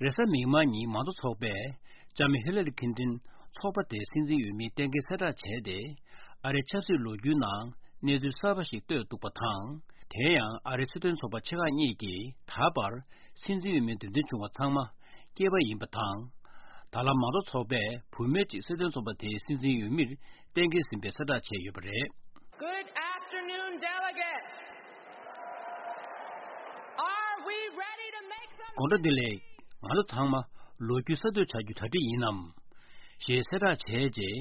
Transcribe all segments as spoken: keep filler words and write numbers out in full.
རེས་གཟའ་མིག་དམར་ཉིན་མང་གཙོ་ཚོགས་པས་ལྕམ་ཧི་ལ་རི་ཁིན་ཏིན་ཚོགས་པ་དེའི་སྲིད་འཛིན་འོས་མི་གཏན་འཁེལ་གསལ་བསྒྲགས་བྱས་ཏེ། ཨ་རིའི་ཆབ་སྲིད་ལོ་རྒྱུས་ནང་གནས་ཚུལ་གསར་པ་ཞིག་བཏོད་འདུག་པ་དང་། དེ་ཡང་ཨ་རིའི་སྲིད་དོན་ཚོགས་པ་ཆེ་ཁག་གཉིས་ཀྱིས་ད་བར་སྲིད་འཛིན་འོས་མི་འདེམས་ཐོན་བྱུང་བ་ཚང་མ་སྐྱེས་པ་ཡིན་པ་དང་། ད་ལམ་མང་གཙོ་ཚོགས་པས་བུད་མེད་ཅིག་སྲིད་དོན་ཚོགས་པ་དེའི་སྲིད་འཛིན་འོས་མིར་གཏན་འཁེལ་ཟིན་པའི་གསལ་བསྒྲགས་བྱས་ཡོད་པ་རེད། Good afternoon, delegates. Are we ready to make some དགོང་དྲོ་བདེ་ལེགས། ང་ཚོ་ཚང་མ་ལོ་རྒྱུས་གསར་གཏོད་བྱ་རྒྱུ་གྲ་སྒྲིག་ཡིན་ནམ། ཞེས་གསལ་བསྒྲགས་བྱས་རྗེས།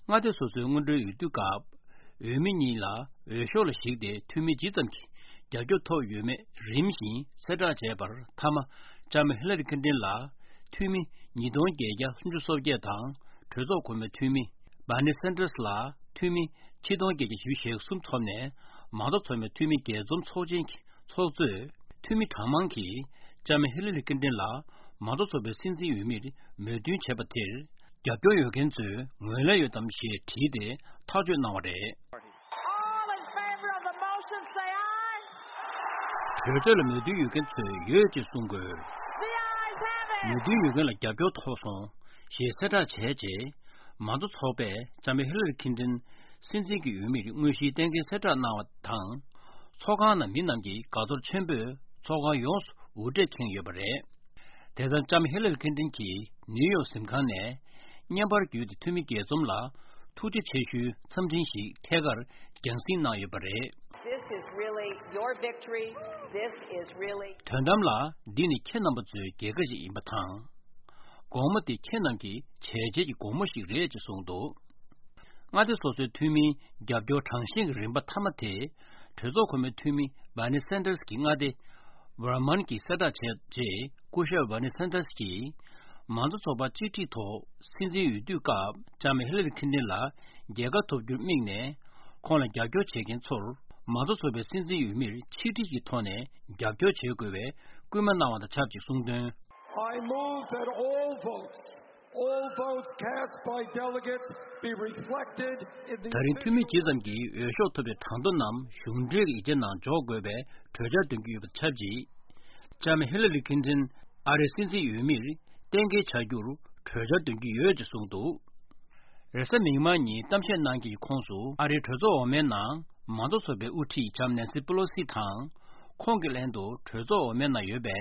མངའ་སྡེ་སོ་སོའི་སྔོན་འགྲོའི་འོས་བསྡུ་སྐབས། འོས་མི་གཉིས་ལ་འོས་ཤོག་ལ་གཞིགས་ཏེ་འཐུས་མི་ཇི་ཙམ་གྱིས་རྒྱབ་སྐྱོར་ཐོབ་ཡོད་མེད་རིམ་བཞིན་གསལ་བསྒྲགས་བྱས་པར། མཐའ་མ་ལྕམ་ཧི་ལ་རི་ཁིན་ཏིན་ལ་འཐུས་མི་ཉིས་སྟོང་བརྒྱད་བརྒྱ་སུམ་ཅུ་སོ་བརྒྱད་དང་། གྲོས་ཚོགས་གོང་མའི་འཐུས་མི་བྷར་ནི་སན་ཏར་སི་ལ་འཐུས་མི་ཆིག་སྟོང་བརྒྱད་བརྒྱ་བཞི་བཅུ་ཞེ་གསུམ་ཐོབ་ནས། མང་གཙོ་ཚོགས་མའི་འཐུས་མི་རྒྱས་འཛོམས་ཚོགས་ཆེན་གྱི་ཚོགས་གཙོས། འཐུས་མི་གྲངས་མང་གིས་ལྕམ་ཧི་ལ་རི་ཁིན་ཏིན་ལ་མང་གཙོ་ཚོགས་པའི་སྲིད་འཛིན་འོས་མིར་མོས་མཐུན་བྱས་པ་དེར། རྒྱབ་སྐྱོར་ཡོད་མཁན་ཚོས་ངོས་ལེན་ཡོད་དམ་ཞེས་དྲིས་ཏེ་ཐག་གཅོད་གནང་བ་རེད། All in favor of the motion, say aye. གྲོས་ཆོད་ལ་མོས་མཐུན་ཡོད་མཁན་ཚོས་ཡོད་ཅེས་གསུང་དགོས། The ayes have it. མོས་མཐུན་ཡོད་མཁན་ལ་རྒྱབ་སྐྱོར་ཐོབ་སོང་ཞེས་གསལ་བསྒྲགས་བྱས་རྗེས། མང་གཙོ་ཚོགས་པས་ལྕམ་ཧི་ལ་རི་ཁིན་ཏིན་སྲིད་འཛིན་གྱི་འོས་མིར་དངོས་གཞིའི་གཏན་འཁེལ་གསལ་བསྒྲགས་གནང་བ་དང་། ཚོགས་ཁང་ནང་མི་རྣམས་ཀྱིས་དགའ་ཚོར་ཆེན་པོས་ཚོགས་ཁང་ཡོངས་སུ་འུར་སྒྲས་ཁེངས་ཡོད་པ་རེད། དེ་ལྟར་ལྕམ་ཧི་ལ་རི་ཁིན་ཏིན་གྱིས་ནིའུ་ཡོག་གཟིམ་ཁང་ནས་བརྙན་པར་བརྒྱུད་དེ་འཐུས་མི་རྒྱས་འཛོམས་ལ་ཐུགས་རྗེ་ཆེ་ཞུའི་འཚམས་འཕྲིན་ཞིག་ཐད་ཀར་རྒྱང་སྲིང་གནང་ཡོད་པ་རེད། This is really your victory. This is really དོན་དམ་ལ་འདི་ནི་ཁྱེད་རྣམ་པ་ཚོའི་རྒྱལ་ཁ་ཞིག་ཡིན་པ་དང་། དགོང་མོ་དེ་ཁྱེད་རྣམས་ཀྱི་བྱས་རྗེས་ཀྱི་དགོང་མོ་ཞིག་རེད་ཅེས་གསུངས་འདུག་མངའ་སྡེ་སོ་སོའི་འཐུས་མིའི་རྒྱབ་སྐྱོར་གྲངས་བཤེར་གྱི་རིམ་པ་མཐའ་མ་དེ། གྲོས་ཚོགས་གོང་མའི་འཐུས་མི་བྷར་ནི་སན་ཏར་སི་གྱི་མངའ་སྡེ་ཝར་མཱན་གྱིས་གསལ་བསྒྲགས་བྱས་རྗེས། སྐུ་ཞབས་བྷར་ནི་སན་ཏར་སི་གྱིས། མང་གཙོ་ཚོགས་པ་གཅིག་སྒྲིལ་ཐོག་སྲིད་འཛིན་འོས་བསྡུའི་སྐབས་ལྕམ་ཧི་ལ་རི་ཁིན་ཏིན་ལ་རྒྱལ་ཁ་ཐོབ་རྒྱུར་དམིགས་ནས། ཁོང་ལ་རྒྱབ་སྐྱོར་བྱེད་མཁན་ཚོར་མང་གཙོ་ཚོགས་པའི་སྲིད་འཛིན་འོས་མིར་ཆིག་སྒྲིལ་གྱི་ཐོག་ནས་རྒྱབ་སྐྱོར་བྱེད་དགོས་པའི་སྐུལ་མ་གནང་བ་དང་ཆབས་ཅིག་གསུངས་དོན། I move that all votes, all votes cast by delegates be reflected in the ད་རིང་འཐུས་མི་ཇི་ཙམ་གྱིས་འོས་ཤོག་ཐོབ་པའི་གྲངས་ཐོ་རྣམས་གཞུང་འབྲེལ་གྱི་ཡིག་ཆ་ནང་འཇོག་དགོས་པའི་གྲོས་འཆར་འདོན་གྱི་ཡོད་པ་དང་ཆབས་ཅིག་ལྕམ་ཧི་ལ་རི་ཁིན་ཏིན་ཨ་རིའི་སྲིད་འཛིན་འོས་མིར་གཏན་འཁེལ་བྱ་རྒྱུར་གྲོས་འཆར་འདོན་གྱི་ཡོད་ཅེས་གསུངས་འདུག་རེས་གཟའ་མིག་དམར་ཉིན་གཏམ་བཤད་གནང་མཁན་གྱི་ཁོངས་སུ་ཨ་རིའི་གྲོས་ཚོགས་འོག་མའི་ནང་མང་གཙོ་ཚོགས་པའི་དབུ་ཁྲིད་ལྕམ་ནན་སི་པེ་ལོ་སི་དང་། ཁོང་གི་ལྷན་དུ་གྲོས་ཚོགས་འོག་མའི་ནང་ཡོད་པའི་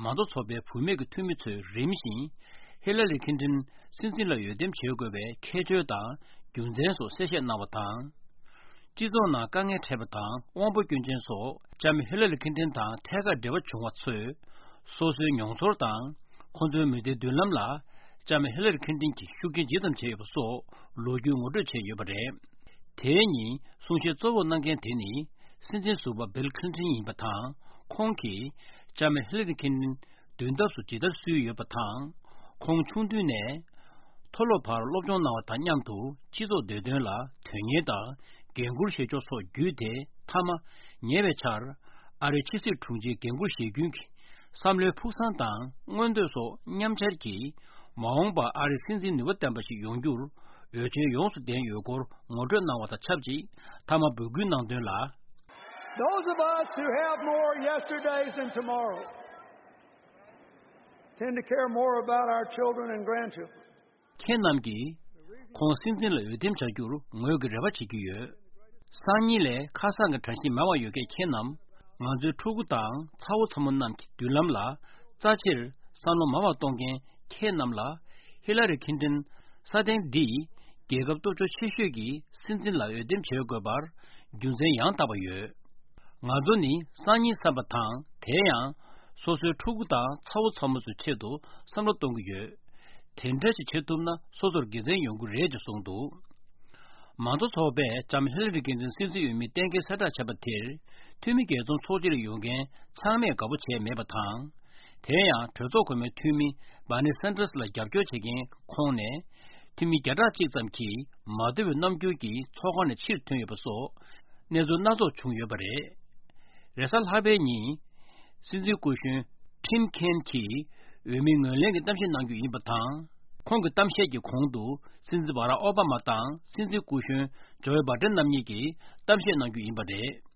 མང་གཙོ་ཚོགས་པའི་བུད་མེད་ཀྱི་འཐུས་མི་ཚོས་རིམ་བཞིན་ཧི་ལ་རི་ཁིན་ཏིན་སྲིད་འཛིན་ལ་འོས་འདེམས་བྱེད་དགོས་པའི་ཁྱད་ཆོས་དང་རྒྱུ་མཚན་སོགས་གསལ་བཤད་གནང་བ་དང་། སྤྱི་ཚོགས་ནང་དཀའ་ངལ་འཕྲད་པ་དང་དབང་པོ་སྐྱོན་ཅན་སོགས་ལྕམ་ཧི་ལ་རི་ཁིན་ཏིན་དང་ཐད་ཀར་འབྲེལ་བ་བྱུང་བ་ཚོས། སོ་སོའི་མྱོང་ཚོར་དང་། ཁོང་ཚོའི་མི་ཚེའི་མདུན་ལམ་ལ་ལྕམ་ཧི་ལ་རི་ཁིན་ཏིན་གྱིས་ཤུགས་རྐྱེན་ཇི་ཙམ་བྱས་ཡོད་པ་སོགས་ལོ་རྒྱུས་ངོ་སྤྲོད་བྱས་ཡོད་པ་རེད། དེའི་ཉིན་གསུང་བཤད་གཙོ་བོར་གནང་མཁན་དེ་ནི་སྲིད་འཛིན་ཟུར་པ་བིལ་ཁི་ལིན་ཊོན་ཡིན་པ་དང་། ཁོང་གིས་ལྕམ་ཧི་ལ་རི་ཁིན་ཏིན་མདུན་ཐབས་སུ་ཇི་ལྟར་བསུས་ཡོད་པ་དང་། ཁོང་ཆུང་དུས་ནས་མཐོ་སློབ་བར་སློབ་སྦྱོང་གནང་བ་དང་མཉམ་དུ་སྤྱི་ཚོགས་བདེ་དོན་ལ་དོན་གཉེར་དང་འགན་འཁུར་བཞེས་ཕྱོགས་སོགས་བརྒྱུད་དེ། མཐའ་མ་ཉེ་བའི་ཆར་ཨ་རིའི་ཕྱི་སྲིད་དྲུང་ཆེའི་འགན་འཁུར་བཞེས་རྒྱུན་གྱི་བསམ་བློའི་ཕུགས་བསམ་དང་མངོན་འདོད་སོགས་མཉམ་འཆར་གྱིས། མ་འོངས་པར་ཨ་རིའི་སྲིད་འཛིན་ནུས་པ་ལྡན་པ་ཞིག་ཡོང་རྒྱུར་འོས་ཆོས་ཡོངས་སུ་ལྡན་ཡོད་སྐོར་ངོ་སྤྲོད་གནང་བ་དང་ཆབས་ཅིག་མཐའ་མ་འབོད་སྐུལ་གནང་དོན་ལ། Those of us who have more yesterdays than tomorrow tend to care more about our children and grandchildren. ཁྱེད་རྣམས་ཀྱིས་ཁོང་སྲིད་འཛིན་ལ་འོས་འདེམས་བྱ་རྒྱུར་ངོས་ཀྱི་རེ་བ་བྱེད་ཀྱི་ཡོད། སང་ཉིན་ལས་ཁ་སང་གི་དྲན་ཤེས་མང་བ་ཡོད་མཁན་ཁྱེད་རྣམས། ང་ཚོའི་ཕྲུ་གུ་དང་ཚ་བོ་ཚ་མོ་རྣམས་ཀྱི་མདུན་ལམ་ལ་རྩ་ཆེར་བསམ་བློ་མང་བ་གཏོང་མཁན་ཁྱེད་རྣམས་ལ། ཧི་ལ་རི་ཁིན་ཏིན་ས་སྟེང་འདིས་རྒྱལ་ཁབ་སྟོབས་ཤུགས་ཆེ་ཤོས་ཀྱི་སྲིད་འཛིན་ལ་འོས་འདེམས་བྱེད་དགོས་པར་རྒྱུ་མཚན་ཡང་དག་པ་ཡོད། ང་ཚོ་ནི་སང་ཉིན་བསམ་པ་དང་། དེ་ཡང་སོ་སོའི་ཕྲུ་གུ་དང་ཚ་བོ་ཚ་མོ་ཚོའི་ཆེད་དུ་བསམ་བློ་གཏོང་གི་ཡོད། དེ་འདྲ་ཞིག་བྱེད་ཐུབ་ན་སོ་སོར་དགེ་མཚན་ཡོང་གི་རེད་ཅེས་གསུངས་འདུག་མང་གཙོ་ཚོགས་པས་ལྕམ་ཧི་ལ་རི་ཁིན་ཏིན་སྲིད་འཛིན་འོས་མི་གཏན་འཁེལ་གསལ་བསྒྲགས་བྱས་པ་དེར། འཐུས་མི་རྒྱས་འཛོམས་ཚོགས་ཆེན་ལ་ཡོང་མཁན་ཚང་མས་དགའ་པོ་བྱས་མེད་པ་དང་། དེ་ཡང་གྲོས་ཚོགས་གོང་མའི་འཐུས་མི་བྷར་ནི་སན་ཏར་སི་ལ་རྒྱབ་སྐྱོར་བྱེད་མཁན་ཁོངས་ནས། འཐུས་མི་བརྒྱ་ཕྲག་གཅིག་ཙམ་གྱིས་མ་འདོད་པའི་རྣམ་འགྱུར་གྱིས་ཚོགས་ཁང་ནས་ཕྱིར་ཐོན་ཡོད་པ་སོགས་གནས་ཚུལ་སྣ་ཚོགས་བྱུང་ཡོད་པ་རེད། རེས་གཟའ་ལྷག་པའི་ཉིན། སྲིད་འཛིན་སྐུ་གཞོན་ཊིམ་ཁེན་གྱིས་འོས་མི་ངོས་ལེན་གྱི་གཏམ་བཤད་གནང་རྒྱུ་ཡིན་པ་དང་། ཁོང་གི་གཏམ་བཤད་ཀྱི་གོང་དུ་སྲིད་འཛིན་བྷ་རག་ཨོ་བྷ་མ་དང་སྲིད་འཛིན་སྐུ་གཞོན་ཇོ་བྷའི་ཌེན་རྣམ་གཉིས་ཀྱིས་གཏམ་བཤད་གནང་རྒྱུ་ཡིན་པ་རེད།